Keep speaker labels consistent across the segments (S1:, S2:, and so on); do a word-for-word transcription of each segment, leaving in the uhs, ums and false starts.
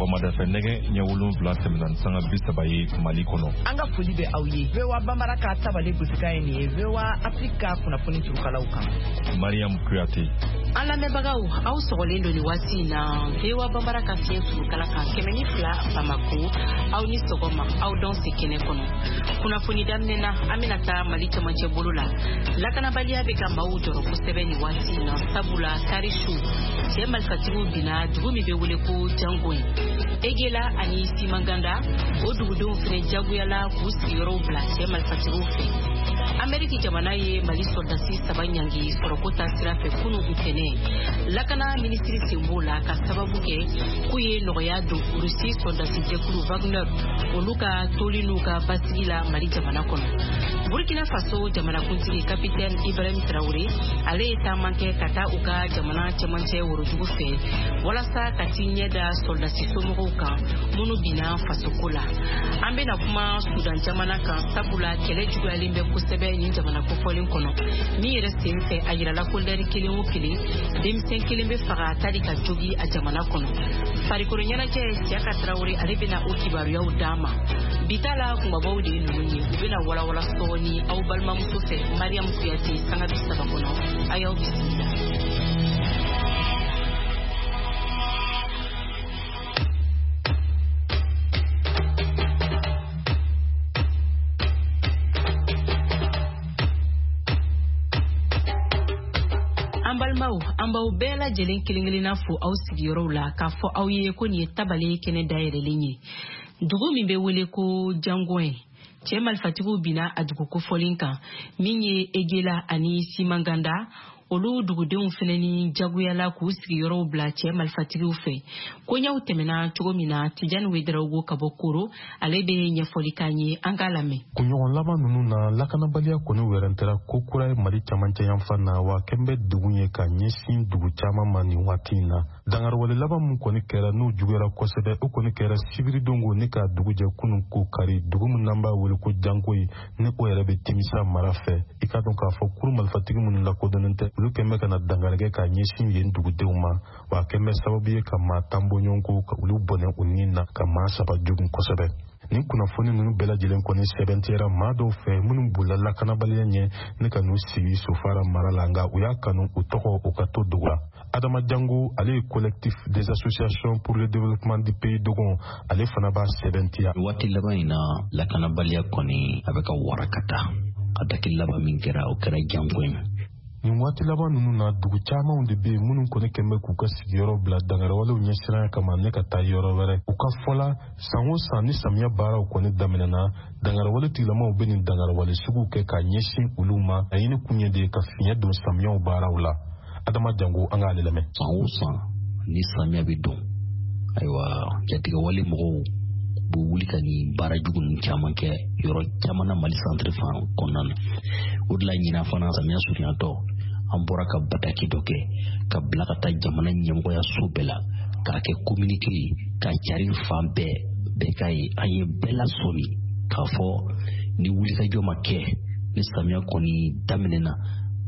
S1: Sɔgɔmada fɛ nɛgɛ ɲɛ wolonwula tɛmɛna ni sanga bi saba ye Mali kɔnɔ.
S2: An ka foli bɛ aw ye. V O A Bambara ka tabale gosikan ye nin ye V O A Afrique ka kunnafoni turukalaw kan.
S1: Mariam Kuyate.
S3: An lamɛnbagaw, aw sɔgɔlen don nin waati in na V O A Bambara ka fiɲɛ turukala kan kɛmɛ ni fila Bamako, aw ni sɔgɔma, aw dɔn se kɛnɛ kɔnɔ. Kunnafoni daminɛ na, an bɛna taa Mali cɛmancɛ bolo la. Lakanabaliya bɛ ka maaw jɔrɔ kosɛbɛ nin waati in na, sabula kari su cɛ marifatigiw binna dugu min bɛ wele ko Jangoyi. Egela ani Simanganda, o dugudenw fɛnɛ jagoyala k'u sigiyɔrɔw bila cɛ marifatigiw fɛ. Ameriki jamana ye Mali sɔrɔdasi saba ɲangi sɔrɔko ta sira fɛ kunu ntɛnɛn. Lakana minisiri sen b'o la ka sababu kɛ k'u ye nɔgɔya don Rusi sɔrɔdasi jɛkulu Wagner olu ka toli n'u ka basigi la Mali jamana kɔnɔ. Burkina Faso jamanakuntigi Capitaine Ibrahim Traoré ale ye taama kɛ ka taa u ka jamana cɛmancɛ worodugu fɛ walasa ka t'i ɲɛ da sɔrɔdasi somɔgɔw kan minnu binna fasoko la. An bɛna kuma Sudan jamana kan, sabula kɛlɛ juguyalen bɛ kosɛbɛ nin jamana kofɔlen kɔnɔ. Min yɛrɛ sen fɛ a yirala ko lɛri kelen o kelen denmisɛn kelen bɛ faga tari ka jogi a jamana kɔnɔ. Farikolo ɲɛnajɛ Siaka Traoré ale bɛna o kibaruyaw d'an ma. Bi ta la kunbabaw de ye ninnu ye, u bɛna walawala sɔɔni aw balimamuso fɛ Mariam Kuyate sanga bi saba kɔnɔ. A y'aw bisimila. An balimaw, an b'aw bɛɛ lajɛlen kelen kelenna fo aw sigiyɔrɔw la k'a fɔ aw ye ko nin ye tabale kɛnɛ dayɛlɛlen ye. Dugu min bɛ wele ko Jangoyi, cɛ marifatigiw binna a dugu kofɔlen kan min ye Egela ani Simanganda, olu dugudenw fɛnɛ ni jagoyala k'u sigiyɔrɔw bila cɛ marifatigiw fɛ. Koɲɛw tɛmɛna cogo min na, Tijani Wedarawogo ka bɔ Koro, ale bɛ ɲɛfɔli k'an ye, an k'a lamɛn.
S4: Kunɲɔgɔn laban ninnu na, lakanabaliya kɔni wɛrɛntɛra ko kura ye Mali camancɛ yanfan na, wa kɛn bɛ degun ye ka ɲɛsin dugu caman ma nin waati in na. Dangarwale laban min kɔni kɛra n'o juguyara kosɛbɛ, o kɔni kɛra sibiridon ni ka dugu jɛ kunun ko kari, dugu min n'an b'a wele ko Jangoyi, ni o yɛrɛ bɛ Timisa mara fɛ. I k'a dɔn k'a fɔ kuru marifatigi minnu lakodɔnnen tɛ, olu kɛn bɛ ka na dankari kɛ k'a ɲɛsin yen dugudenw ma, wa a kɛn bɛ sababu ye ka maa tan bɔ ɲɔgɔn kɔ ka olu bɔnɛ u ni na, ka maa saba jogun kosɛbɛ. Nin kunnafoni ninnu bɛɛ lajɛlen kɔni sɛbɛntiyara maa dɔw fɛ minnu bolila lakanabaliya ɲɛ ni ka n'u sigi Sofara mara la, nka u y'a kanu u tɔgɔ u ka to dogo la. Adama Jango, ale ye collectif des associations pour le développement du pays Dogon, ale fana b'a sɛbɛntiya.
S5: Waati laban in na, lakanabaliya kɔni a bɛ ka wara ka taa. Ataki laban min kɛra, o kɛra Jango ye.
S4: Nin waati laban ninnu na, dugu camanw de bɛ yen minnu kɔni kɛn bɛ k'u ka sigiyɔrɔ bila dangarawalew ɲɛsiranya kama ne ka taa yɔrɔ wɛrɛ. U ka fɔ la, san o san ni samiya baaraw kɔni daminɛna, dangarawale tigilamaw bɛ nin dangarawale suguw kɛ k'a ɲɛsin olu ma. Laɲini kun ye de ye ka fiɲɛ don samiyaw baaraw la. Adama Jango, an k'ale lamɛn.
S5: San o san ni samiya bɛ don, ayiwa jatigɛwale mɔgɔw b'u wuli ka nin baara jugu ninnu caman kɛ yɔrɔ caman na Mali centre fan kɔnɔna na. O de la ɲinan fana samiya surunyatɔ, an bɔra ka bataki dɔ kɛ ka bila ka taa jamana ɲɛmɔgɔya so bɛɛ la k'a kɛ communiqué ye k'a cari fan bɛɛ bɛɛ k'a ye. An ye bɛɛ lasɔmi k'a fɔ ni wulikajɔ ma kɛ ni samiya kɔni daminɛna,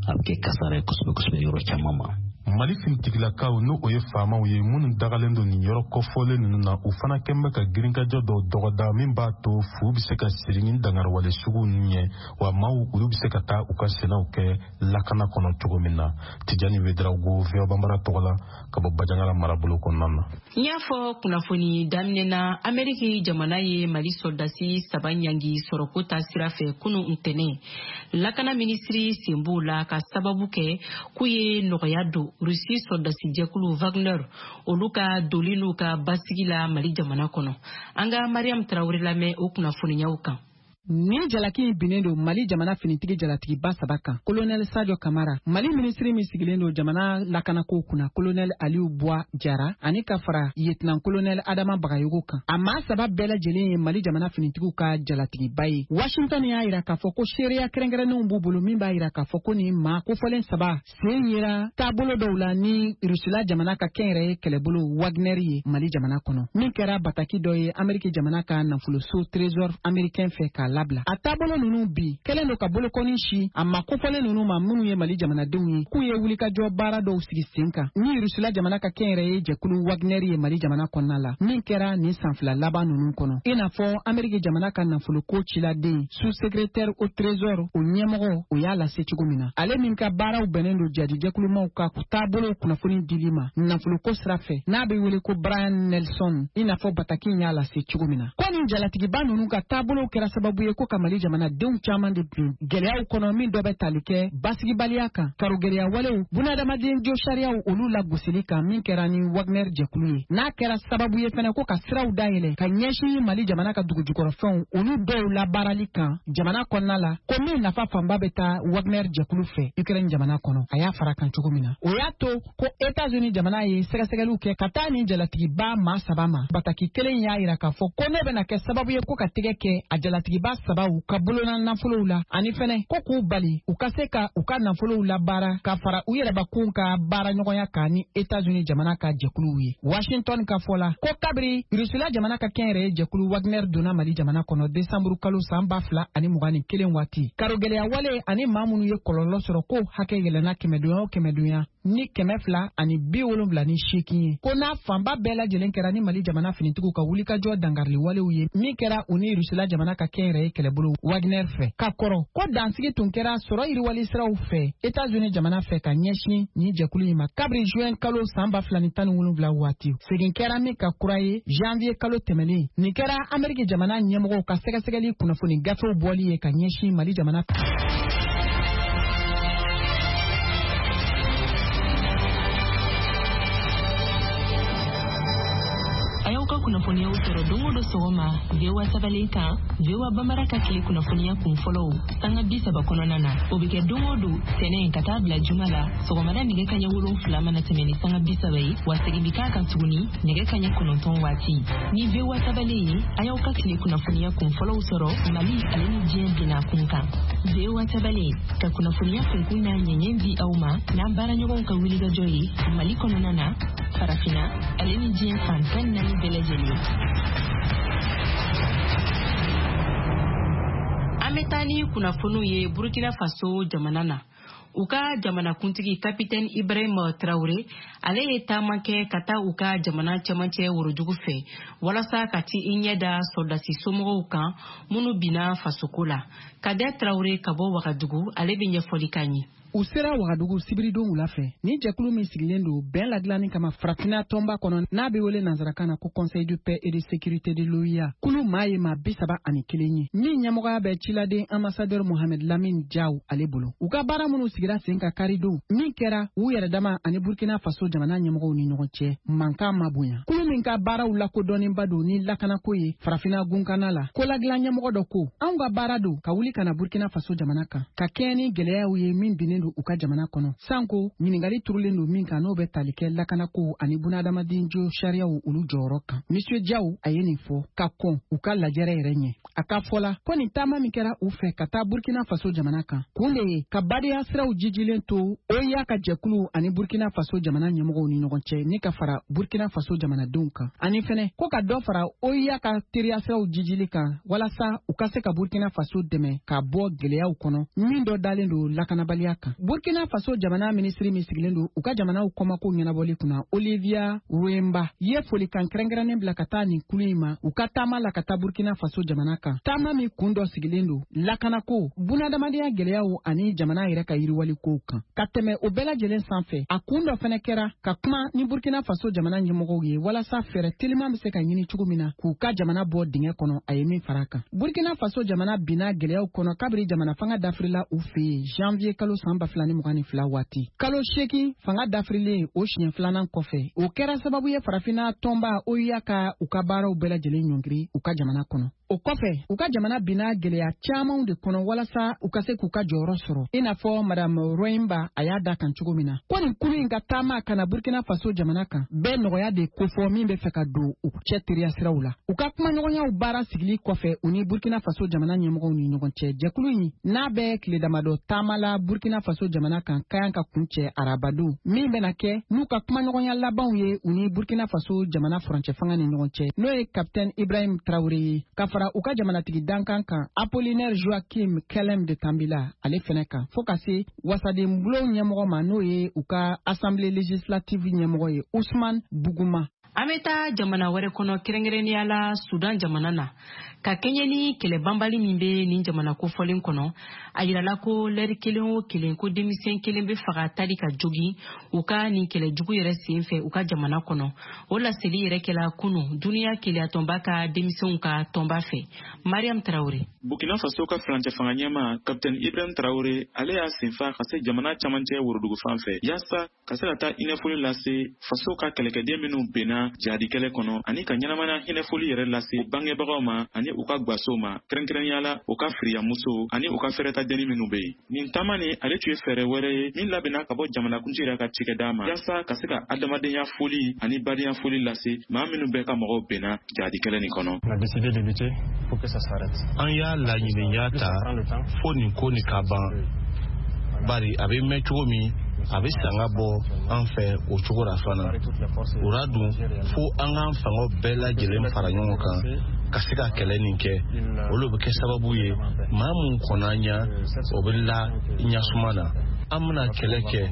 S5: a bɛ kɛ kasara ye kosɛbɛ kosɛbɛ yɔrɔ caman ma.
S4: Mali finitigilakaw n'o o ye faamaw ye minnu dagalen don nin yɔrɔ kɔfɔlen ninnu na, u fana kɛn bɛ ka girinkajɔ dɔw dɔgɔda min b'a to fu bɛ se ka siri ni dangarwale sugu ninnu ɲɛ, wa maaw olu bɛ se ka taa u ka sɛnɛw kɛ lakana kɔnɔ cogo min na. Tijani Wedarawogo, V O A Bambara tɔgɔ la ka bɔ Bajangara marabolo kɔnɔna na.
S3: N y'a fɔ kunnafoni daminɛ na, Ameriki jamana ye Mali sɔrɔdasi saba ɲangi sɔrɔko ta sira fɛ kunu ntɛnɛn. Lakana minisiri sen b'o la ka sababu kɛ k'u ye nɔgɔya don Rusi sɔrɔdasi jɛkulu Wagner olu ka doli n'u ka basigi la Mali jamana kɔnɔ. An ka Mariam Traoré lamɛn o kunnafoniyaw kan.
S6: Nin jalaki in binnen don Mali jamana finitigi jalatigiba saba kan. Colonel Sadio Kamara, Mali minisiri min sigilen don jamana lakanako kunna, Colonel Aliou Boua Jara, ani ka fara lieutenant colonel Adama Bagayogo kan. A maa saba bɛɛ lajɛlen ye Mali jamana finitigiw ka jalatigiba ye. Washington y'a yira k'a fɔ ko seereya kɛrɛnkɛrɛnnenw b'u bolo min b'a yira k'a fɔ ko nin maa kofɔlen saba sen yera taabolo dɔw la ni Rusila jamana ka kɛnyɛrɛye kɛlɛbolo Wagner ye Mali jamana kɔnɔ. Min kɛra bataki dɔ ye Ameriki jamana ka nafoloso Trésor américain fɛ k'a labila. A taabolo ninnu bi kɛlen don ka bolokɔni si a ma kofɔlen ninnu ma minnu ye Mali jamanadenw ye, k'u ye wulikajɔ baara dɔw sigi sen kan ni Rusila jamana ka kɛnyɛrɛye jɛkulu Wagner ye Mali jamana kɔnɔna la, min kɛra nin san fila laban ninnu kɔnɔ. I n'a fɔ Ameriki jamana ka nafoloko ciladen sous-secrétaire au trésor o ɲɛmɔgɔ o y'a lase cogo min na, ale min ka baaraw bɛnnen don jadijɛkulumaw ka taabolo kunnafoni dili ma nafoloko sira fɛ n'a bɛ wele ko Brian Nelson, i n'a fɔ bataki y'a lase cogo min na, ko nin jalatigiba ninnu ka taabolow kɛra sababu ye ko ka Mali jamanadenw caman de bin gɛlɛyaw kɔnɔ min dɔ bɛ tali kɛ basigibaliya kan, karogɛlɛya walew, bunadamaden jo sariyaw olu lagosili kan min kɛra ni Wagner jɛkulu ye, n'a kɛra sababu ye fɛnɛ ko ka siraw dayɛlɛ ka ɲɛsin Mali jamana ka dugujukɔrɔfɛnw olu dɔw labaarali kan jamana kɔnɔna la, ko min nafa fanba bɛ taa Wagner jɛkulu fɛ Ukraine jamana kɔnɔ. A y'a fara kan cogo min na, o y'a to ko États-Unis jamana ye sɛgɛsɛgɛliw kɛ ka taa nin jalatigiba maa saba ma. Bataki kelen y'a yira k'a fɔ ko ne bɛna kɛ sababu ye ko ka tɛgɛ kɛ a jalatigiba sabaw ka bolona nafolow la, ani fɛnɛ ko k'u bali u ka se ka u ka nafolow labaara ka fara u yɛrɛbakun ka baaraɲɔgɔnya kan ni États-Unis jamana ka jɛkuluw ye. Washington ka fɔ la ko kabiri Rusila jamana ka kɛnyɛrɛye jɛkulu Wagner donna Mali jamana kɔnɔ desanburu kalo san ba fila ani mugan ni kelen waati, karogɛlɛya wale ani maa minnu ye kɔlɔlɔ sɔrɔ ko hakɛ yɛlɛnna kɛmɛdonya o kɛmɛdonya ni kɛmɛ fila ani bi wolonwula ni seegin ye, ko n'a fanba bɛɛ lajɛlen kɛra ni Mali jamana finitigiw ka wulikajɔ dankarili walew ye min kɛra u ni Rusila jamana ka kɛnyɛrɛye kɛlɛbolo Wagner fɛ. Ka kɔrɔ ko dansigi tun kɛra sɔrɔ yiriwali siraw fɛ États-Unis jamana fɛ ka ɲɛsin nin jɛkulu in ma kabiri juin kalo san ba fila ni tan ni wolonwula waati, segin kɛra min ka kura ye janvier kalo tɛmɛnen. Nin kɛra Ameriki jamana ɲɛmɔgɔw ka sɛgɛsɛgɛli kunnafoni gafew bɔli ye ka ɲɛsin Mali jamana.
S3: A y'aw ka kunnafoniyaw sɔrɔ don o don sɔgɔma V O A tabalen kan, V O A Bambara ka tile kunnafoniya kun fɔlɔw sanga bi saba kɔnɔna na. O bɛ kɛ don o don tɛnɛn ka taa bila juma la sɔgɔmada nɛgɛ kaɲɛ wolonfila mana tɛmɛ ni sanga bi saba ye, wa segin bɛ k'a kan tuguni nɛgɛ kaɲɛ kɔnɔntɔn waati. Ni V O A tabalen ye, a y'aw ka tile kunnafoniya kun fɔlɔw sɔrɔ Mali ale ni diɲɛ binna kun kan. V O A tabalen ka kunnafoniya kunkun n'a ɲɛɲɛ di aw ma n'an baaraɲɔgɔnw ka wulikajɔ ye Mali kɔnɔna na, farafinna ale ni diɲɛ fan tan ni naani bɛɛ lajɛlen. An bɛ taa ni kunnafoniw ye Burkina Faso jamana na. U ka jamanakuntigi Capitaine Ibrahim Traoré ale ye taama kɛ ka taa u ka jamana cɛmancɛ worodugu fɛ walasa ka ti i ɲɛ da sɔrɔdasi somɔgɔw kan minnu binna fasoko la. Kader Traoré ka bɔ Wagadugu, ale bɛ ɲɛfɔli k'an ye.
S6: U sera Wagadugu sibiridon wula fɛ ni jɛkulu min sigilen don bɛn ladilanni kama farafinna tɔnba kɔnɔ n'a bɛ wele nansarakan na ko Conseil de paix et de sécurité de l'O E A, kulu maa ye maa bi saba ani kelen ye min ɲɛmɔgɔya bɛ ciladen ambassadeur Mohamed Lamine Diaw ale bolo. U ka baara minnu sigira sen ka karidon min kɛra u yɛrɛ dama ani Burkina Faso jamana ɲɛmɔgɔw ni ɲɔgɔn cɛ, mankan ma bonya. Kulu min ka baaraw lakodɔnnenba don ni lakanako ye farafinna gunkana la, ko ladilan ɲɛmɔgɔ dɔ ko anw ka baara don ka wuli ka na Burkina Faso jamana kan ka kɛɲɛ ni gɛlɛyaw ye min binnen don u ka jamana kɔnɔ, sanko ɲininkali turulen don min kan n'o bɛ tali kɛ lakanako ani bunadamaden jo sariyaw olu jɔyɔrɔ kan. Monsieur Diaw a ye nin fɔ ka kɔn u ka lajɛrɛ yɛrɛ ɲɛ. A ka fɔ la ko nin taama min kɛra u fɛ ka taa Burkina Faso jamana kan kun de ye ka badenya siraw jijilen to O E A ka jɛkulu ani Burkina Faso jamana ɲɛmɔgɔw ni ɲɔgɔn cɛ ni ka fara Burkina Faso jamanadenw kan, ani fɛnɛ ko ka dɔ fara O E A ka teriya siraw jijili kan walasa u ka se ka Burkina Faso dɛmɛ ka bɔ gɛlɛyaw kɔnɔ min dɔ dalen don lakanabaliya kan. Burkina Faso jamana minisiri min sigilen don u ka jamanaw kɔmako ɲɛnabɔli kunna, Olivia Ruemba, ye folikan kɛrɛnkɛrɛnnen bila ka taa nin kulu in ma u ka taama la ka taa Burkina Faso jamana kan, taama min kun dɔ sigilen don lakanako, bunadamadenya gɛlɛyaw ani jamana yɛrɛ ka yiriwalikow kan. Ka tɛmɛ o bɛɛ lajɛlen sanfɛ, a kun dɔ fɛnɛ kɛra ka kuma ni Burkina Faso jamana ɲɛmɔgɔw ye walasa fɛɛrɛ teliman bɛ se ka ɲini cogo min na k'u ka jamana bɔ dingɛ kɔnɔ, a ye min fara a kan. Burkina Faso jamana binna gɛlɛyaw kɔnɔ kabiri jamana fanga dafirila u fɛ yen janvier kalo san ba fila ni mugan ni fila waati. Kalo seegin fanga dafirilen o siɲɛ filanan kɔfɛ, o kɛra sababu ye farafinna tɔnba O E A ka u ka baaraw bɛɛ lajɛlen ɲɔngiri u ka jamana kɔnɔ. O kɔfɛ, u ka jamana binna gɛlɛya camanw de kɔnɔ walasa u ka se k'u ka jɔyɔrɔ sɔrɔ, i n'a fɔ Madame Roimba a y'a da kan cogo min na ko nin kulu in ka taama ka na Burkina Faso jamana kan bɛɛ nɔgɔya de kofɔ min bɛ fɛ ka don u cɛ teriya siraw la. U ka kumaɲɔgɔnyaw baara sigili kɔfɛ u ni Burkina Faso jamana ɲɛmɔgɔw ni ɲɔgɔn cɛ, jɛkulu in n'a bɛ tile damadɔ taama la Burkina Faso jamana kan ka kan ka kuncɛ arabadon min bɛna kɛ n'u ka kumaɲɔgɔnya labanw ye u ni Burkina Faso jamana furancɛ fanga ni ɲɔgɔn cɛ, n'o ye Capitaine Ibrahim Traoré ye, ka fara u ka jamanatigi dankan kan Apollinaire Joachim Kelem de Tambila ale fɛnɛ kan, fo ka se wasadenbulon ɲɛmɔgɔ ma, n'o ye u ka assemblée législative ɲɛmɔgɔ ye Ousmane Buguma.
S3: An bɛ taa jamana wɛrɛ kɔnɔ, kɛrɛnkɛrɛnnenya la Sudan jamana na, ka kɛɲɛ ni kɛlɛ banbali min bɛ nin jamana kofɔlen kɔnɔ. A yirala ko lɛri kelen o kelen, ko denmisɛn kelen bɛ faga tali ka jogin u ka nin kɛlɛ jugu yɛrɛ sen fɛ u ka jamana kɔnɔ. O laseli yɛrɛ kɛla kunu duniya keleyatɔnba ka denmisɛnw ka tɔnba fɛ. Mariam Traoré.
S7: Burkina Faso ka furancɛ fanga ɲɛmaa Capitaine Ibrahim Traoré, ale y'a senfa ka se jamana camancɛ worodugu fan fɛ yaasa ka se ka taa hinɛfoli lase faso ka kɛlɛkɛden minnu benna jihadi kɛlɛ kɔnɔ, ani ka ɲɛnamaya hinɛfoli yɛrɛ lase bangebagaw ma ani u ka gwasow ma, kɛrɛnkɛrɛnnenya la u ka firiyamuso ani u ka fɛrɛtadenni minnu bɛ yen. Nin taama nin, ale tun ye fɛɛrɛ wɛrɛ ye min labɛnna ka bɔ jamanakuntigi yɛrɛ ka cikɛda ma yaasa ka se ka adamadenya foli ani badenya foli lase maa minnu bɛɛ ka mɔgɔw benna jihadi kɛlɛ nin kɔnɔ.
S8: An y'a laɲiniya ta fo nin ko nin ka ban, bari a bɛ mɛn cogo min, a bɛ sanga bɔ an fɛ o cogo la fana. O la dun, fo an k'an fangaw bɛɛ lajɛlen fara ɲɔgɔn kan ka se ka kɛlɛ nin kɛ. Olu bɛ kɛ sababu ye maa mun kɔnna ɲa, o bɛ la ɲasuma na. An bɛna kɛlɛ kɛ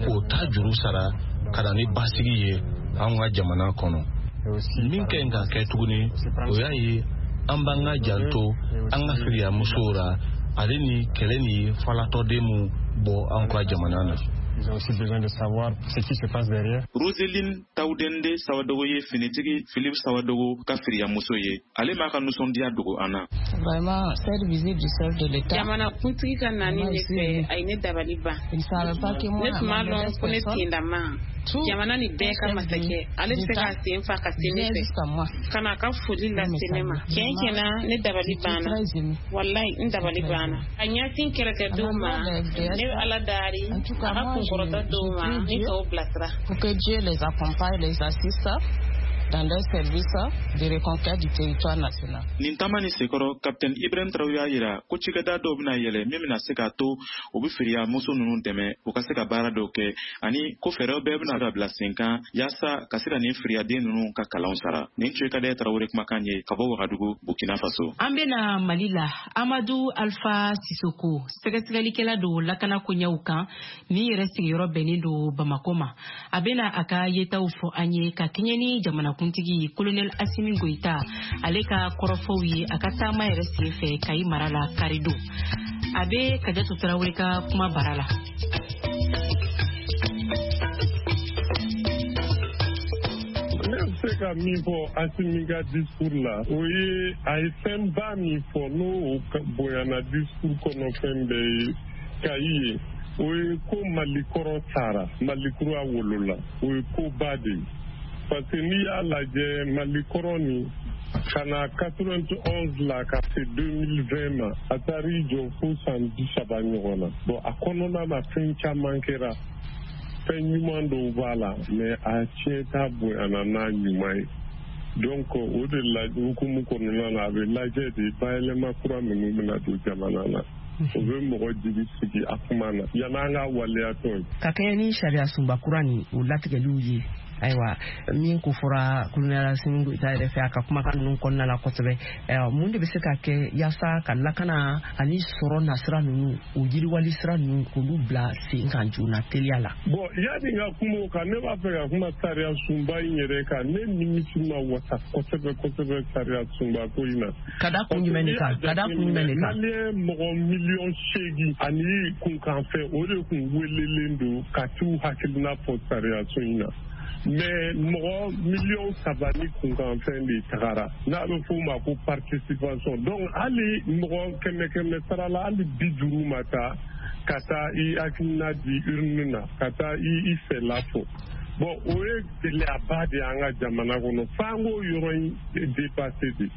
S8: k'o ta juru sara ka na ni basigi ye anw ka jamana kɔnɔ. Min ka ɲi ka kɛ tuguni, o y'a ye an b'an ka janto an ka firiyamusow la, ale ni kɛlɛ ni falatɔden mun bɔ an ka jamana na.
S9: Ils ont aussi besoin de savoir ce qui se passe derrière.
S7: Roseline Taudende Sawadogo ye finitigi Philippe Sawadogo ka firiyamuso ye. Ale m'a ka nisɔndiya dogo an na.
S10: Vraiment, cette visite du chef de l'État.
S11: Jamana kuntigi ka nani ne fɛ, a ye ne dabali ban.
S10: Il savait pas que moi,
S11: ne tun b'a lɔn ko ne tendama. Jamana ni bɛɛ ka masakɛ, ale bɛ se k'a sen fa ka se ne fɛ. Ka n'a ka foli lase ne ma. Tiɲɛ tiɲɛna, ne dabali banna. Walayi, n dabali banna. A ɲɛsin kɛlɛkɛdenw ma, ne bɛ Ala dari, a ka kunkɔrɔta d'u ma, ni k'o bilasira.
S10: Pour que Dieu les accompagne, les assiste dans leur service de reconquête du territoire national.
S7: Nin taama nin senkɔrɔ, Capitaine Ibrahim Traoré y'a yira ko cikɛda dɔw bɛna yɛlɛ min bɛna se k'a to u bɛ firiya muso ninnu dɛmɛ u ka se ka baara dɔw kɛ, ani ko fɛɛrɛw bɛɛ bɛna bila sen kan yaasa ka se ka nin firiyaden ninnu ka kalanw sara. Nin tun ye Kadɛ Traoré kumakan ye ka bɔ Wagadugu, Burkina Faso.
S3: An bɛna Mali la. Amadu Alpha Sissoko, sɛgɛsɛgɛlikɛla don lakana koɲɛw kan min yɛrɛ sigiyɔrɔ bɛnnen don Bamakɔ ma, a bɛna a ka yetaw fɔ an ye ka kɛɲɛ ni jamana kuntigi Colonel Assimi Goïta ale ka kɔrɔfɔw ye a ka taama yɛrɛ senfɛ Kayi mara la karidon. A bɛ Kajatu Tarawele ka kuma bara la.
S12: Ne bɛ se ka min fɔ Assimi ka discours la, o ye a ye fɛnba min fɔ, n'o bonyana discours kɔnɔ fɛn bɛɛ ye Kayi ye, o ye ko Mali kɔrɔ sara, Mali kura wolola, o ye koba de ye. Parce que n'i y'a lajɛ Mali kɔrɔ nin ka na quatre-vingt-onze la ka se deux mille vingt ma, a taar'i jɔ fo san bi saba ɲɔgɔn na. Bon, a kɔnɔna na fɛn caman kɛra, fɛn ɲuman dɔw b'a la, mais a tiɲɛta bonyana n'a ɲuman ye. Donc o de la hukumu kɔnɔna na, a bɛ lajɛ de bayɛlɛma kura minnu bɛna don jamana na, o bɛ mɔgɔ jigi sigi a kuma na yan'an ka waleyatɔ ye.
S2: Ka kɛɲɛ ni sariya sunba kura nin o latigɛliw ye, ayiwa min ko fɔra Colonel Assimi Goïta yɛrɛ fɛ a ka kumakan ninnu kɔnɔna la kosɛbɛ, mun de bɛ se ka kɛ yaasa ka lakana ani sɔrɔ nasira ninnu, o yiriwali sira ninnu, k'olu bila sen kan joona teliya la?
S12: Bon, yanni n ka kuma o kan, ne b'a fɛ ka kuma sariya sunba in yɛrɛ kan. Ne nimisi ma wasa kosɛbɛ kosɛbɛ sariya sunba ko in na.
S2: Ka da kun jumɛn de kan? Ka da kun jumɛn de kan?
S12: Maliyɛn mɔgɔ miliyɔn seegin ani kunkanfɛn, o de kun welelen don ka t'u hakilina fɔ sariya sun in na. Mais mɔgɔ miliyɔn saba ni kunkanfɛn de tagara, n'a bɛ f'o ma ko participation. Donc hali mɔgɔ kɛmɛ kɛmɛ sara la, hali bi duuru ma taa ka taa i hakilina di urne na, ka taa i i fɛla fɔ. Bon, o ye gɛlɛyaba de y'an ka jamana kɔnɔ, f'an k'o yɔrɔ in dépasser de.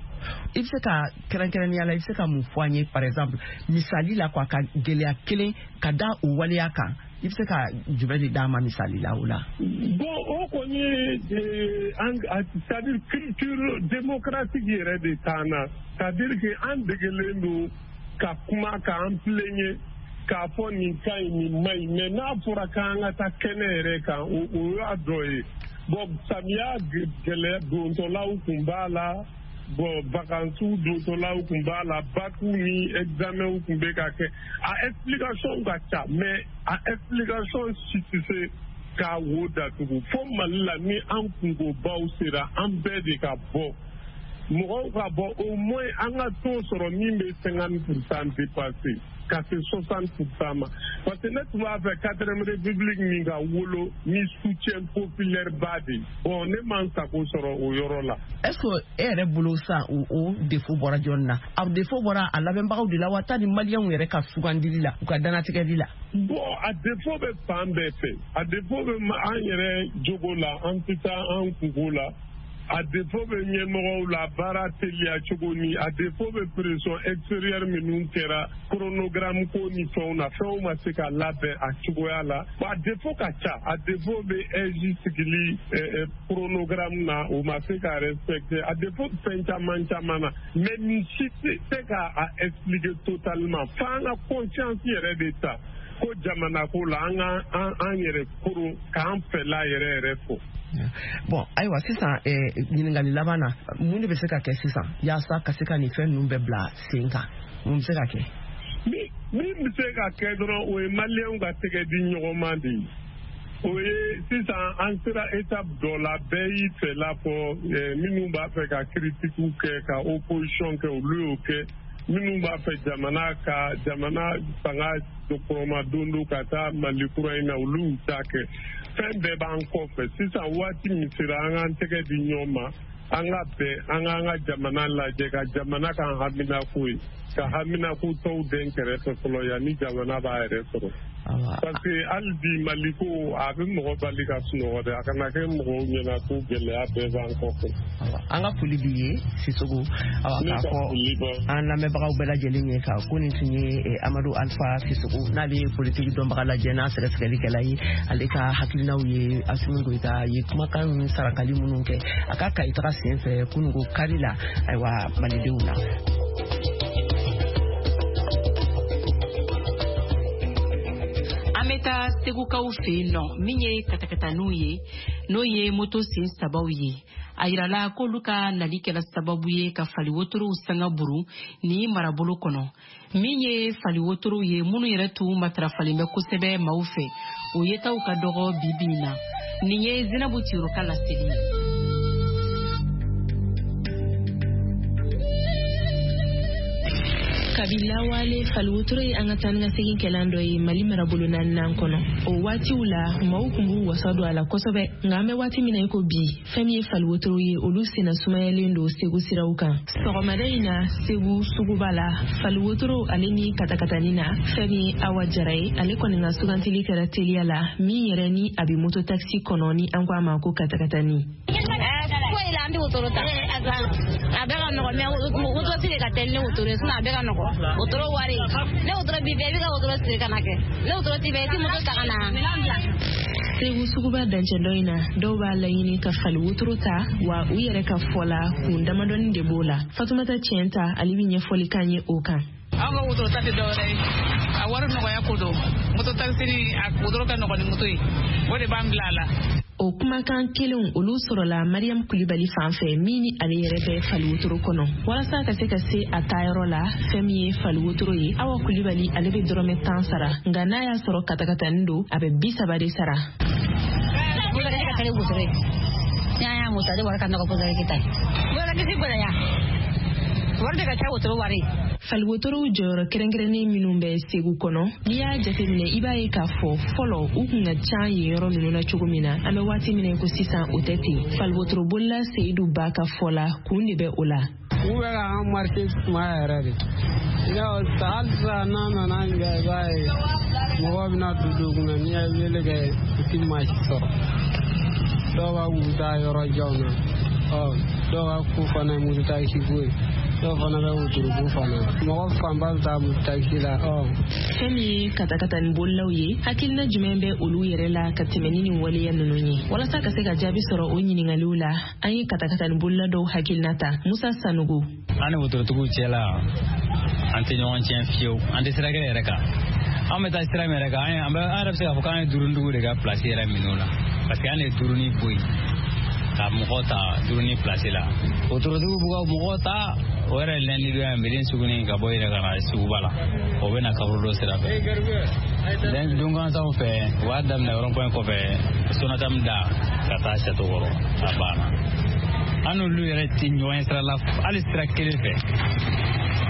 S2: I bɛ se ka kɛrɛnkɛrɛnnenya la, i bɛ se ka mun fɔ an ye, par exemple misali la quoi, ka gɛlɛya kelen ka da o waleya kan, i bɛ se ka jumɛn de d'a ma misali la o la?
S12: Bon, o kɔni ye c'est à dire culture démocratique yɛrɛ de t'an na, c'est à dire que an degelen don ka kuma k'an plaigner k'a fɔ nin ka ɲi nin man ɲi, mais n'a fɔra k'an ka taa kɛnɛ yɛrɛ kan, o o y'a dɔ ye. Bon, samiya gɛlɛya dontɔlaw kun b'a la, Bon, vacances dontɔlaw kun b'a la, bac ni examen kun bɛ ka kɛ. A explication ka ca, mais a explication si tɛ se k'a wo datugu. Fo Mali la, ni an kunkobaw sera, an bɛɛ de ka bɔ, mɔgɔw ka bɔ, au moins an ka taux sɔrɔ min bɛ cinquante pour cent dépasser ka se soixante pour cent ma, parce que ne tun b'a fɛ quatrième république min ka wolo ni soutien populaire ba de ye. Bon, ne ma n sago sɔrɔ o yɔrɔ la.
S2: Est ce que e yɛrɛ bolo sisan, o o défaut bɔra jɔnni na? A défaut bɔra a labɛnbagaw de la wa, ta ni maliyɛnw yɛrɛ ka sugandili la, u ka dannatigɛli la?
S12: Bon, a défaut bɛ fan bɛɛ fɛ. A défaut bɛ an yɛrɛ jogo la, an tɛ taa an kungo la. A défaut bɛ ɲɛmɔgɔw la, baara teliya cogo ni a défaut bɛ pression extérieure minnu kɛra chronogramme ko ni fɛnw na, fɛnw ma se ka labɛn a cogoya la. A défaut ka ca. A défaut bɛ A I J sigili chronogramme na, o ma se ka respecter. A défaut fɛn caman caman na, mais nin si tɛ se ka a expliquer totalement. F'an ka conscience yɛrɛ de ta ko jamana ko la, an ka an yɛrɛ koron k'an fɛla yɛrɛ yɛrɛ fɔ.
S2: Bon, ayiwa, sisan ɲininkali laban na, mun de bɛ se ka kɛ sisan yaasa ka se ka nin fɛn ninnu bɛɛ bila sen kan? Mun bɛ se ka kɛ?
S12: Min min bɛ se ka kɛ dɔrɔn, o ye maliyɛnw ka tɛgɛ di ɲɔgɔn ma de ye. O ye sisan an sera étape dɔ la, bɛɛ y'i fɛla fɔ. Minnu b'a fɛ ka critique kɛ, ka opposition kɛ, olu y'o kɛ. Minnu b'a fɛ jamana ka jamana fanga kɔrɔma don don ka taa Mali kura in na, olu y'u ta kɛ. Fɛn bɛɛ b'an kɔfɛ sisan. Waati min sera, an k'an tɛgɛ di ɲɔgɔn ma, an ka bɛn, an k'an ka jamana lajɛ, ka jamana k'an haminako ye, ka haminako tɔw den kɛrɛfɛ fɔlɔ yanni jamana b'a yɛrɛ sɔrɔ. Parce que hali bi, Maliko a bɛ mɔgɔ bali ka sunɔgɔ dɛ. A kana kɛ mɔgɔw ɲɛna ko gɛlɛya bɛɛ b'an kɔfɛ.
S2: An ka foli b'i ye, Sisoko. Awa, k'a fɔ an lamɛnbagaw bɛɛ lajɛlen ye ka ko nin tun ye Amadu Alpha Sisoko, n'ale ye politiki dɔnbaga lajɛ n'a sɛgɛsɛgɛlikɛla ye, ale ka hakilinaw ye Asimi Goyita ye kumakan ni sarakali minnu kɛ a ka Kayi taga sen fɛ kununko kari la, ayiwa, malidenw na.
S3: An bɛ taa Segukaw fɛ yen nɔ, min ye katakataniw ye, n'o ye moto sen sabaw ye. A yirala k'olu ka nali kɛra sababu ye ka fali wotorow sanga buru ni marabolo kɔnɔ. Min ye fali wotorow ye minnu yɛrɛ tun matarafalen bɛ kosɛbɛ maaw fɛ, o yetaw ka dɔgɔ bi bi in na. Nin ye Zinabu Tiro ka laseli ye.
S13: Kabi lawale, faliwotoro ye an ka taa ni ka segin kɛlan dɔ ye Mali marabolo naaninan kɔnɔ. O waatiw la, maaw kun b'u wasa don a la kosɛbɛ, nka an bɛ waati min na i ko bi, fɛn min ye faliwotoro ye, olu senna sumayalen don Segu siraw kan. Sɔgɔmada in na, Segu suguba la, faliwotoro ale ni katakatani na, fɛn min ye Awa Jara ye, ale kɔni ka sugantili kɛra teliya la, min yɛrɛ ni a bɛ moto taxi kɔnɔ, ni an ko a ma ko katakatani.
S14: Foyi la, an bɛ wotoro ta. A bɛɛ ka nɔgɔn, mais moto siri ka teli ni wotoro ye, sinon a bɛɛ ka nɔgɔn. Wotoro wari, ne wotoro b'i fɛ, i bɛ ka wotoro siri ka na kɛ. Ne wotoro t'i fɛ, i tɛ moto ta ka na.
S13: Segu suguba dancɛ dɔ in na, dɔw b'a laɲini ka fali wotoro ta, wa u yɛrɛ ka fɔ la, kun damadɔni de b'o la. Fatumata Tiɲɛta, ale bɛ ɲɛfɔli k'an ye o kan.
S15: An ka wotoro ta tɛ dɔwɛrɛ ye, a wari nɔgɔya ko don. Moto taxi ni a wotoro ka nɔgɔn ni moto ye, o de b'an bila a la.
S13: O kumakan kelenw olu sɔrɔla Mariam Kulibali fan fɛ, min ni ale yɛrɛ bɛ faliwotoro kɔnɔ. Walasa ka se ka se a taayɔrɔ la, fɛn min ye faliwotoro ye, Awa Kulibali ale bɛ dɔrɔmɛ tan sara, nka n'a y'a sɔrɔ katakatani don, a bɛ bi saba de sara. Faliwotorow jɔyɔrɔ kɛrɛnkɛrɛnnen minnu bɛ Segu kɔnɔ, n'i y'a jateminɛ, i b'a ye k'a fɔ fɔlɔ u kun ka ca yen yɔrɔ ninnu na cogo min na, an bɛ waati min na ko sisan o tɛ ten. Faliwotorobolila Seyidu Ba ka fɔ la, kun de bɛ o la.
S16: U bɛ ka an marché sumaya yɛrɛ de. Hali sisan n'a nana an jɔ, i b'a ye mɔgɔw bɛna don don kunna, n'i ye wele kɛ, i ti maa si sɔrɔ. Dɔw b'a k'u bɛ taa yɔrɔ janw na, ɔ dɔw ka ko fana ye moto taxi ko ye. Dɔw fana bɛ wotorobo fana, mɔgɔ fanba bɛ taa moto taxi la. Ɔ
S13: fɛn min ye katakatani bolilaw ye, hakilina jumɛn bɛ olu yɛrɛ la ka tɛmɛ ni nin waleya ninnu ye? Walasa ka se ka jaabi sɔrɔ o ɲininkaliw la, an ye katakatani bolila dɔw hakilina ta. Musa Sanogo:
S17: An ni wotorotigiw cɛ la, an tɛ ɲɔgɔn tiɲɛ fiyewu, an tɛ sira kelen yɛrɛ kan. An bɛ taa sira min yɛrɛ kan, an yɛrɛ bɛ se k'a fɔ k'an ye duurunintigiw de ka pilasi yɛrɛ minɛ o la, parce que an de ye duurunin bɔ yen. Ka mɔgɔ ta duruni place la. Wotorotigiw b'u ka mɔgɔ ta o yɛrɛ lundi don yan Mɛdine suguni ka bɔ yɛrɛ ka na suguba la. O bɛ na kaburudo sira fɛ. Dungansanw fɛ u b'a daminɛ rond-point kɔfɛ Sonatam da ka taa Château kɔrɔ a banna. An n'olu yɛrɛ tɛ ɲɔgɔn ye sira la hali sira kelen fɛ.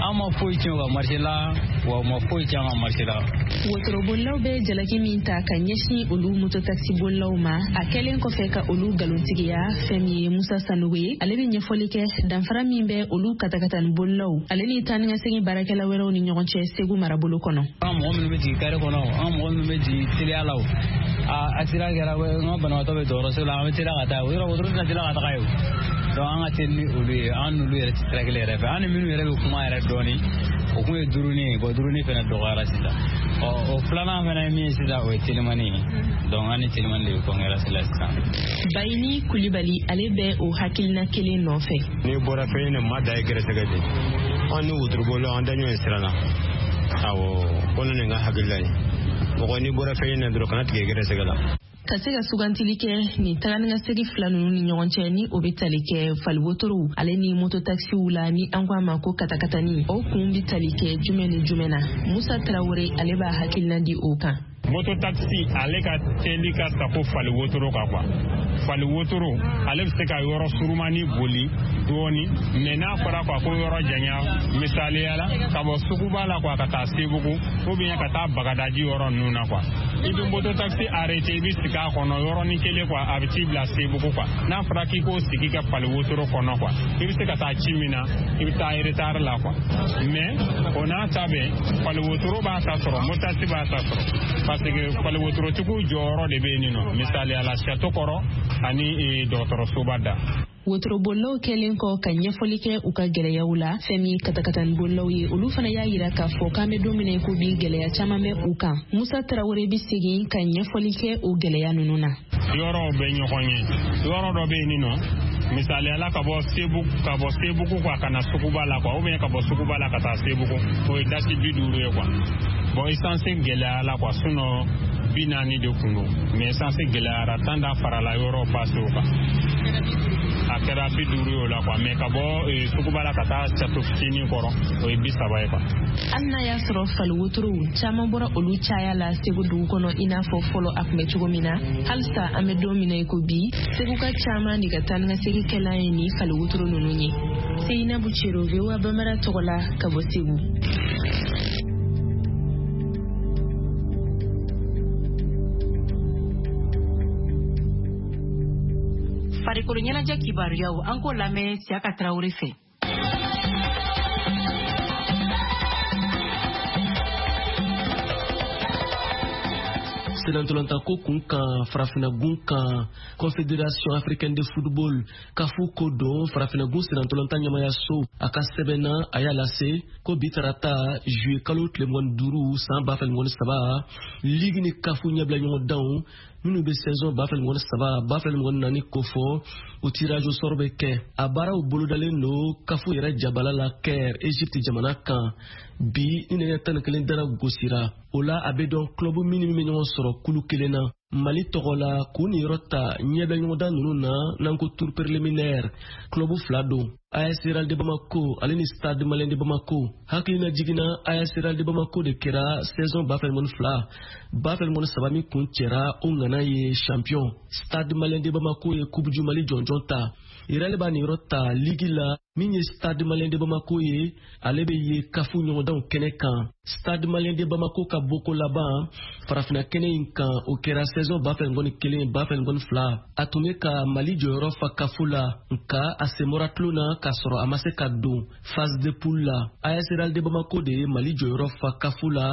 S17: An ma foyi tiɲɛ u ka marché la wa u ma foyi tiɲɛ an ka marché la.
S13: Wotorobolilaw bɛ jalaki min ta ka ɲɛsin olu mototaxibolilaw ma a kɛlen kɔfɛ ka olu nkalontigiya fɛn min ye Musa Sanogo ye ale bɛ ɲɛfɔli kɛ danfara min bɛ olu katakatani-bolilaw ale ni taanikasegin baarakɛla wɛrɛw ni ɲɔgɔn cɛ Segu marabolo kɔnɔ.
S17: An mɔgɔ minnu bɛ jigin kare kɔnɔ an mɔgɔ minnu bɛ jigin teliya la o a accident kɛra n ka banabaatɔ bɛ dɔgɔtɔrɔso la an bɛ teliya ka taa o yɔrɔ wotoro tɛna teliya ka taga ye o. Donc an ka teli ni olu ye an n'olu yɛrɛ tɛ sira kelen yɛrɛ fɛ an ni minnu yɛrɛ bɛ kuma yɛrɛ dɔɔni o kun ye duurunin ye bon duurunin fana dɔgɔyara sisan ɔ o filanan fana ye min ye sisan o ye telimani ye donc an ni telimani de bɛ concurrence la sisan.
S13: Bayini Kulibali ale bɛ o hakilina kelen nɔfɛ.
S18: N'i bɔra fɛn ɲini maa da ye gɛrɛsɛgɛ de an ni wotorobolila an da ɲɔgɔn sira la awɔ ko ne nin ka hakilila ye mɔgɔ n'i bɔra fɛn ɲini dɔrɔn kana tigɛ gɛrɛsɛgɛ la.
S13: Ka se ka sugantili kɛ nin taganikasegin fila ninnu ni ɲɔgɔn cɛ ni o bɛ tali kɛ faliwotorow ale ni mototaxiw la ni an ko a ma ko katakatani o kun bɛ tali kɛ jumɛn ni jumɛn na Musa Tarawele ale b'a hakilina di o kan.
S9: Mototaxi ale ka teli ka tako fali wotoro kan quoi. Fali wotoro ale bɛ se ka yɔrɔ surumani boli dɔɔni mais n'a fɔra quoi ko yɔrɔ janya misaliya la ka bɔ suguba la quoi ka taa Sebugu ou bien ka taa Bagadaji yɔrɔ ninnu na quoi. I bɛ mototaxi arrêté i bɛ sigi a kɔnɔ yɔrɔnin kelen quoi a bɛ t'i bila Sebugu quoi. N'a fɔra k'i k'o sigi ka fali wotoro kɔnɔ quoi i bɛ se ka taa ci min na i bɛ taa retard la quoi. Mais o n'a ta bɛɛ fali wotoro b'a ta sɔrɔ mototaxi b'a ta sɔrɔ. Parce que fali wotorotigiw jɔyɔrɔ de bɛ yen nɔ misaliya la Château kɔrɔ ani dɔgɔtɔrɔsoba da.
S13: Wotorobolilaw kɛlen kɔ ka ɲɛfɔli kɛ u ka gɛlɛyaw la fɛn min katakatani-bolilaw ye olu fana y'a yira k'a fɔ k'an bɛ don min na i ko bi gɛlɛya caman bɛ u kan. Musa Tarawele bɛ segin ka ɲɛfɔli kɛ o gɛlɛya ninnu na.
S9: Yɔrɔw bɛ ɲɔgɔn ye yɔrɔ dɔ bɛ yen nɔ misaliya la ka bɔ Sebugu ka bɔ Sebugu quoi ka na suguba la quoi ou bien ka bɔ suguba la ka taa Sebugu o ye dasi bi duuru ye quoi. Bon essence gɛlɛyara la quoi sinon bi naani de kun don mais essence gɛlɛyara tan da farala yɔrɔ passe o kan. A kɛra bi duuru ye o la quoi mais ka bɔ suguba la ka taa Château fitinin kɔrɔ o ye bi saba ye quoi.
S13: Hali n'a y'a sɔrɔ fali wotorow caman bɔra olu caya la Segu dugu kɔnɔ i n'a fɔ fɔlɔ a tun bɛ cogo min na halisa an bɛ don min na i ko bi Seguka caman de ka taa ni ka segin kɛlan ye nin fali wotoro ninnu ye. Seyinabu Cero V O A Bambara tɔgɔ la ka bɔ Segu.
S3: Farikolo ɲɛnajɛ kibaruyaw an k'o lamɛn Siyaka Tarawele fɛ.
S19: Senantolantako kun kan farafinagun kan Confédération africaine de football kafu ko don farafinagun senantolantan ɲɛmayaso a ka sɛbɛn na a y'a lase ko bi tarata juillet kalo tile mugan ni duuru san ba fila ni mugan ni saba ligue ni kafu ɲɛbila ɲɔgɔndanw minnu bɛ saison ba fila ni mugan ni saba ba fila ni mugan ni naani kofɔ o tirage au sort bɛ kɛ a baaraw bolodalen don kafu yɛrɛ jabala la Caire Egypte jamana kan bi ni nɛgɛ tan ni kelen dara gosira o la a bɛ dɔn club min ni min bɛ ɲɔgɔn sɔrɔ kulu kelen na Mali tɔgɔ la k'u niyɔrɔ ta ɲɛbila ɲɔgɔndan ninnu na n'an ko tour préliminaire club fila don A S Real de Bamako ale ni Stade Malien de Bamako hakilina jiginna A S Real de Bamako de kɛra saison ba fila ni mugan ni fila ba fila ni mugan ni saba min kun cɛra o ŋana ye champion Stade Malien de Bamako ye Coupe du Mali jɔnjɔn ta Real b'a niyɔrɔ ta ligue la min ye Stade Malien de Bamako ye ale bɛ ye kafu ɲɔgɔndanw kɛnɛ kan Stade Malien de Bamako ka boko laban farafinna kɛnɛ in kan o kɛra saison ba fila ni mugan ni kelen ba fila ni mugan ni fila a tun bɛ ka Mali jɔyɔrɔ fa kafu la nka a sen bɔra tulon na k'a sɔrɔ a ma se ka don phase de poule la A S Real de Bamako de ye Mali jɔyɔrɔ fa kafu la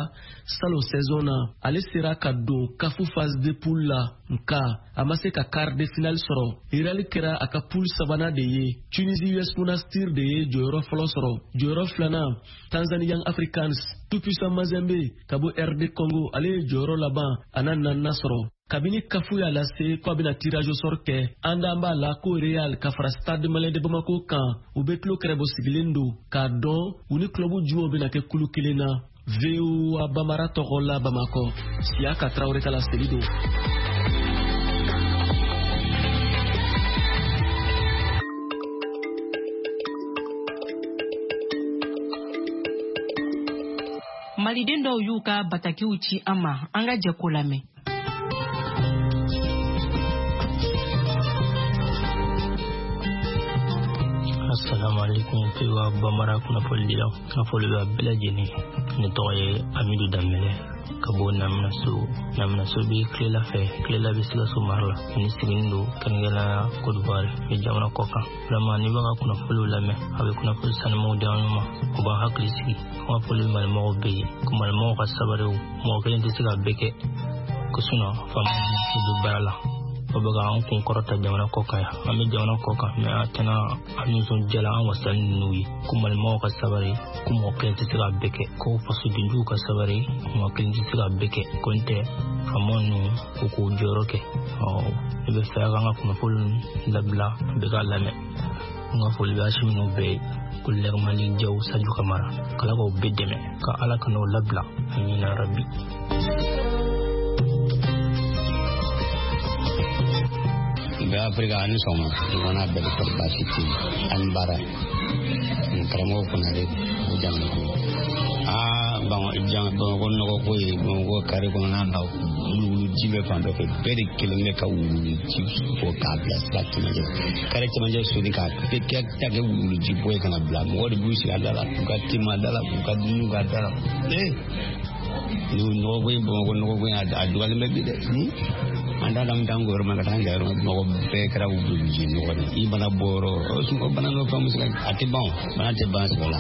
S19: salon saison na ale sera ka don kafu phase de poule la nka a ma se ka quart de finale sɔrɔ Real kɛra a ka poule sabanan de ye Tunisie U S Monastir de ye jɔyɔrɔ fɔlɔ sɔrɔ jɔyɔrɔ filanan Tanzanie Young Africans Tout-Puissant Mazembe ka bɔ R D Congo ale ye jɔyɔrɔ laban a n'a naaninan sɔrɔ kabini kafu y'a lase ko a bɛna tirage au sort kɛ an d'an b'a la ko Real ka fara Stade Malien de Bamako kan u bɛ tulo kɛrɛbɔ sigilen don k'a dɔn u ni club jumɛnw bɛna kɛ kulu kelen na V O A Bambara tɔgɔ la Bamakɔ Siyaka Tarawele ka laseli don.
S3: Maliden dɔw y'u ka batakiw ci an ma, an ka jɛ k'o lamɛn.
S20: Assalamu alaikum V O A Bambara kunnafonidilaw, n ka foli b'a bɛɛ lajɛlen. Ne tɔgɔ ye Amidu Danbɛlɛ ka bɔ Naminaso. Naminaso bɛ Kilela fɛ, Kilela bɛ Sikaso mara la. Ne sigilen don kɛrɛnkɛrɛnnenya Côte d'Ivoire, bɛ jamana kɔ kan. Vraiment, n'i b'a ka kunnafoniw lamɛn, a bɛ kunnafoni sanumanw di an ma, o b'an hakili sigi. N ka foli bɛ malimɔgɔw bɛɛ ye, ko malimɔgɔw ka sabali, mɔgɔ kelen tɛ se ka bɛɛ kɛ, ko sinon faamaw bɛ baara la. O bɛ ka an kun kɔrɔta jamana kɔ kan yan. An bɛ jamana kɔ kan, mɛ an tɛna an nisɔndiyala, an wasalen n'u ye, ko malimɔgɔw ka sabali, ko mɔgɔ kelen tɛ se ka bɛɛ kɛ, ko fasodenjuguw ka sabali, mɔgɔ kelen tɛ se ka bɛɛ kɛ, ko n tɛ faamaw ninnu u k'u jɔyɔrɔ kɛ. Ɔ ne bɛ fɛ k'an ka kunnafoni labila bɛɛ k'a lamɛn. N ka foli bɛ Asimi ninnu bɛɛ ye, ko Lɛgɛmali Jaw, Sadio Kamara, k'Ala k'aw bɛɛ dɛmɛ, ka Ala ka n'aw labila, amina rabi.
S21: Bɛɛ Afirika ani sɔgɔma, ɲɔgɔnna bɛɛ bɛ sɔrɔ, baasi tɛ yen, ani baara karamɔgɔ Konare o jamana ko aa Bamakɔ nɔgɔ ko ye. Bamakɔ kare kɔnɔna na, wuluwulu ji bɛ fan dɔ fɛ, bɛɛ de kelen bɛ ka wuluwulu ji bɔ k'a bila sira cɛmancɛ, kare cɛmancɛ soni k'a bɛɛ kɛ ta kɛ wuluwulu ji bɔ ye ka na bila. Mɔgɔ de b'u sigi a da la k'u ka tema da la, k'u ka dumuni k'a da la. Ee, nɔgɔ ko in, Bamakɔ nɔgɔ ko in, a dɔgɔyalen bɛ bi dɛ. An t'a dɔn, an yɔrɔ ma ka taa an yɔrɔ, mɔgɔ bɛɛ kɛra wuluwuluji nɔgɔ de. I mana bɔ yɔrɔ o bana dɔ fɛn bɛ se ka, a tɛ ban, o bana tɛ ban sɛbɛ la.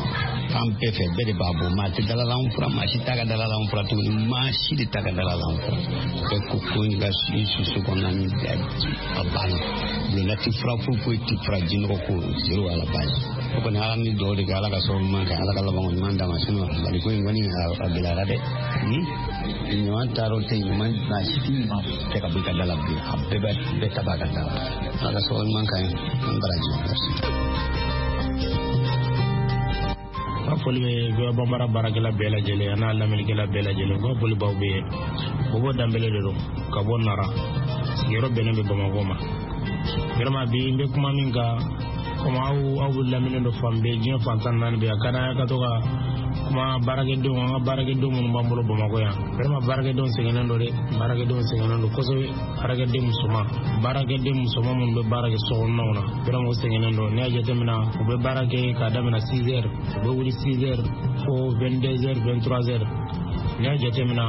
S21: Fan bɛɛ fɛ, bɛɛ de b'a bɔ, maa tɛ dalalan fura, maa si t'a ka dalalan fura tuguni, maa si de t'a ka dalalan fura. Bɛɛ ko ko i ka i su kɔnɔna ni a banna, bulonda tɛ fura foyi foyi tɛ fura, jinɔgɔ ko zéro à la base. O kɔni, Ala ni dugawu de kɛ, Ala ka sababu ɲuman kɛ, Ala ka labanko ɲuman d'a ma. Sinon Mali ko in kɔni, a gɛlɛyara dɛ. Ɲuman taar'o tɛ ɲuman, maa si tɛ ɲuman kɛ ka bɔ i ka da la bilen, a bɛɛ bɛ bɛɛ ta b'a ka da la. Ala ka sababu ɲuman k'an ye, an baraji, merci.
S22: N ka foli bɛ V O A Bambara baarakɛla bɛɛ lajɛlen a n'a lamɛnnikɛla bɛɛ lajɛlen. N ka foli b'aw bɛɛ ye. Bobo Danbɛlɛ de don ka bɔ Nara, sigiyɔrɔ bɛnnen bɛ Bamakɔ ma. Vraiment, bi n bɛ kuma min kan, komi aw aw bɛ lamɛnnen don fan bɛɛ, diɲɛ fan tan naani bɛɛ, a ka d'an ye ka to ka kuma baarakɛdenw, an ka baarakɛdenw minnu b'an bolo Bamakɔ yan. Vraiment, baarakɛdenw sɛgɛnnen don dɛ, baarakɛdenw sɛgɛnnen don kosɛbɛ. Baarakɛden musoman, baarakɛden musoman minnu bɛ baara kɛ sokɔnɔnaw na, vraiment u sɛgɛnnen don. N'i y'a jateminɛ, u bɛ baara kɛ k'a daminɛ six heures, u bɛ wuli six heures fo vingt-deux heures, vingt-trois heures. N'i y'a jateminɛ,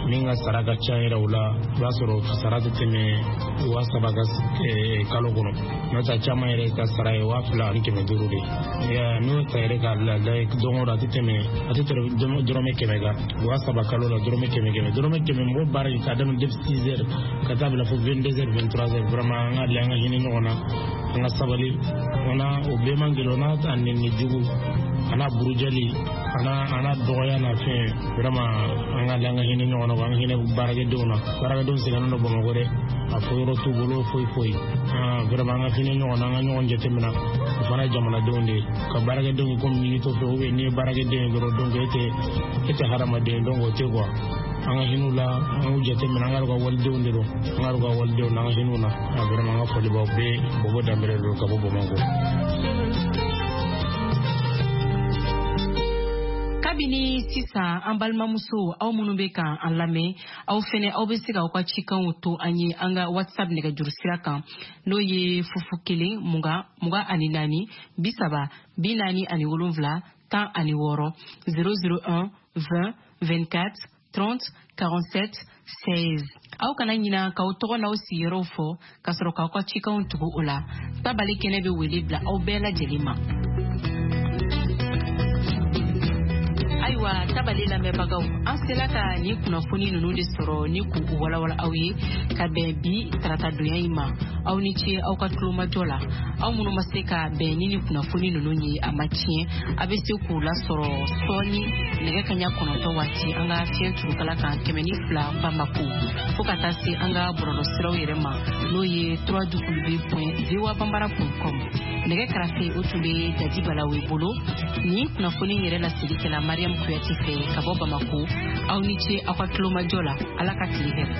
S22: min ka sara ka ca yɛrɛ o la, i b'a sɔrɔ sara tɛ tɛmɛ waa saba ka kalo kɔnɔ. N'o tɛ, caman yɛrɛ ka sara ye waa fila ani kɛmɛ duuru de ye. N'o ta yɛrɛ k'a lajɛ, don o don a tɛ tɛmɛ a tɛ tɛmɛ dɔrɔmɛ kɛmɛ kan. Waa saba kalo la, dɔrɔmɛ kɛmɛ kɛmɛ, dɔrɔmɛ kɛmɛ, mɔgɔ baara kɛ k'a daminɛ depuis six heures ka taa bila fo vingt-deux heures, vingt-trois heures. Vraiment, an ka lajɛ, an ka hinɛ ɲɔgɔn na, an ka sabali. O n'a o bɛɛ man gɛlɛn, o n'a a nɛni jugu, a n'a burujali, a n'a a n'a dɔgɔya n'a fɛn. Vraiment, an ka lajɛ, an ka hinɛ ɲɔgɔn na, an ka hinɛ baarakɛdenw na. Baarakɛdenw sɛgɛnnen don Bamakɔ dɛ, a fɔ yɔrɔ t'u bolo foyi foyi. Vraiment, an ka hinɛ ɲɔgɔn na, an ka ɲɔgɔn jateminɛ, o fana ye jamanadenw de ye. Ka baarakɛdenw kɛ komi ɲinitɔ fɛ, ou bien n'i ye baarakɛden ye dɔrɔn, donc e tɛ e tɛ hadamaden, donc o tɛ quoi. An ka hinɛ u la, an k'u jateminɛ, an ka ka walidenw de don, an ka ka walidenw na, an ka hinɛ u na. Vraiment, an ka foli b'aw bɛɛ. Bobo Danbɛlɛ don ka bɔ Bamakɔ.
S3: Kabini sisan, an balimamuso, aw minnu bɛ kan an lamɛn, aw fɛnɛ aw bɛ se k'aw ka cikanw to an ye an ka WhatsApp nɛgɛjuru sira kan, n'o ye fufu kelen mugan mugan ani naani bi saba bi naani ani wolonwula tan ani wɔɔrɔ, zéro zéro un vingt vingt-quatre trente quarante-sept seize. Aw kana ɲina k'aw tɔgɔ n'aw sigiyɔrɔw fɔ ka sɔrɔ k'aw ka cikanw tugu o la. Tabali kɛnɛ bɛ wele bila aw bɛɛ lajɛlen ma. Ayiwa, tabali lamɛnbagaw, an sela ka nin kunnafoni ninnu de sɔrɔ ni k'u walawala aw ye ka bɛn bi taratadonya in ma. Aw ni ce aw ka tulomajɔ la. Aw minnu ma se ka bɛn ni nin kunnafoni ninnu ye, a ma tiɲɛ, a bɛ se k'u lasɔrɔ sɔɔni nɛgɛ kaɲa kɔnɔntɔn waati an ka fiɲɛ turukala kan kɛmɛ ni fila Bamako, fo ka taa se an ka bɔlɔlɔsiraw yɛrɛ ma, n'o ye w w w point voa bambara point com. Nɛgɛ karafe, o tun bɛ Dadi Balawe bolo. Nin kunnafoni yɛrɛ laseli kɛla Mariam Kuyate fɛ ka bɔ Bamako. Aw ni ce aw ka tulomajɔ la. Ala ka tile hɛrɛ.